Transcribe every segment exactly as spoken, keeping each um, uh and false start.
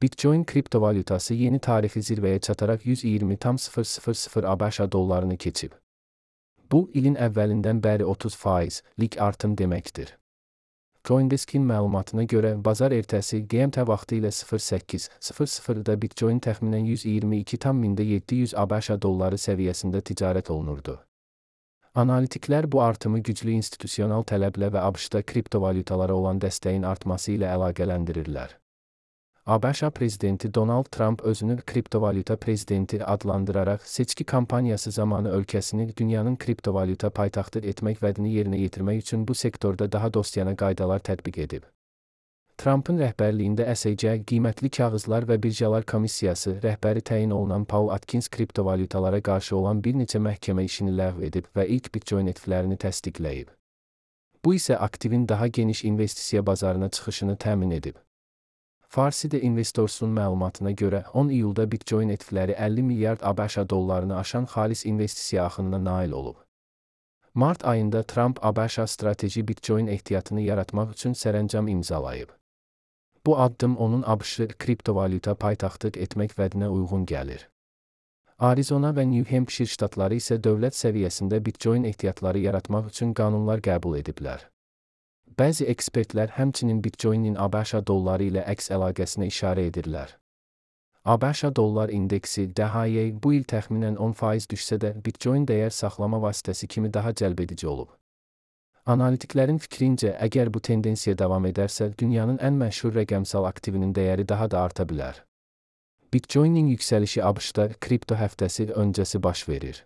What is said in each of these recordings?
Bitcoin kriptovalyutası yeni tarixi zirvəyə çataraq yüz iyirmi tam sıfır sıfır sıfır ABŞ dollarını keçib. Bu, ilin əvvəlindən bəri otuz faizlik artım deməkdir. CoinDesk'in məlumatına görə, bazar ertəsi G M T vaxtı ilə sıfır səkkiz sıfır sıfırda Bitcoin təxminən yüz iyirmi iki tam yeddi yüz ABŞ dolları səviyyəsində ticarət olunurdu. Analitiklər bu artımı güclü institusional tələblə və ABŞ-da kriptovalyutalara olan dəstəyin artması ilə əlaqələndirirlər. ABŞ prezidenti Donald Trump özünü kriptovalyuta prezidenti adlandıraraq seçki kampaniyası zamanı ölkəsini dünyanın kriptovalyuta paytaxtı etmək vədini yerinə yetirmək üçün bu sektorda daha dostyana qaydalar tətbiq edib. Trump'ın rəhbərliyində S E C qiymətli kağızlar və birjalar komissiyası rəhbəri təyin olunan Paul Atkins kriptovalyutalara qarşı olan bir neçə məhkəmə işini ləğv edib və ilk Bitcoin E T F'lərini təsdiqləyib. Bu isə aktivin daha geniş investisiya bazarına çıxışını təmin edib. Farsidə Investors'un məlumatına görə on iyulda Bitcoin E T F'ləri əlli milyard ABŞ dollarını aşan xalis investisiya axınına nail olub. Mart ayında Trump ABŞ strateji Bitcoin ehtiyatını yaratmaq üçün sərəncam imzalayıb. Bu addım onun ABŞ kriptovalyuta paytaxtı etmək vədinə uyğun gəlir. Arizona və New Hampshire ştatları isə dövlət səviyyəsində Bitcoin ehtiyatları yaratmaq üçün qanunlar qəbul ediblər. Bəzi ekspertlər həmçinin Bitcoin'in ABŞ dolları ilə əks əlaqəsinə işarə edirlər. ABŞ dollar indeksi D H Y bu il təxminən on faiz düşsə də Bitcoin dəyər saxlama vasitəsi kimi daha cəlbedici olub. Analitiklərin fikrincə, əgər bu tendensiya davam edərsə, dünyanın ən məşhur rəqəmsal aktivinin dəyəri daha da arta bilər. Bitcoin'in yüksəlişi ABŞ-da kripto həftəsi öncəsi baş verir.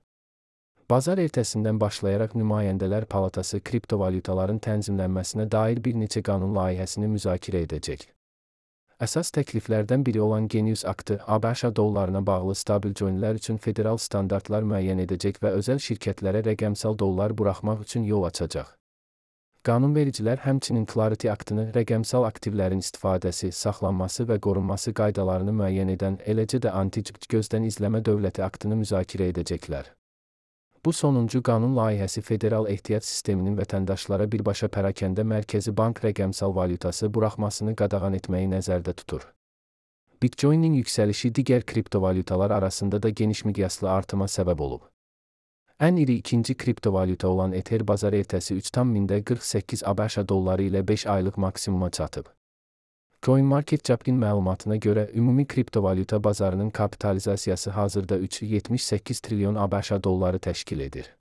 Bazar ertəsindən başlayaraq Nümayəndələr Palatası kriptovalyutaların tənzimlənməsinə dair bir neçə qanun layihəsini müzakirə edəcək. Əsas təkliflərdən biri olan Genius aktı, ABŞ dollarına bağlı stabil coinlər üçün federal standartlar müəyyən edəcək və özəl şirkətlərə rəqəmsal dollar buraxmaq üçün yol açacaq. Qanunvericilər həmçinin Clarity aktını rəqəmsal aktivlərin istifadəsi, saxlanması və qorunması qaydalarını müəyyən edən, eləcə də anti-cıpt gözdən izləmə dövləti aktını müzakirə edəcəklər. Bu sonuncu qanun layihəsi federal ehtiyat sisteminin vətəndaşlara birbaşa pərakəndə mərkəzi bank rəqəmsal valyutası buraxmasını qadağan etməyi nəzərdə tutur. Bitcoin'in yüksəlişi digər kriptovalyutalar arasında da geniş miqyaslı artıma səbəb olub. Ən iri ikinci kriptovalyuta olan Ether bazar ertəsi üç tam qırx səkkiz ABŞ dolları ilə beş aylıq maksimuma çatıb. CoinMarketCap'in məlumatına görə ümumi kriptovalyuta bazarının kapitalizasiyası hazırda üç nöqtə yetmiş səkkiz trilyon ABŞ dolları təşkil edir.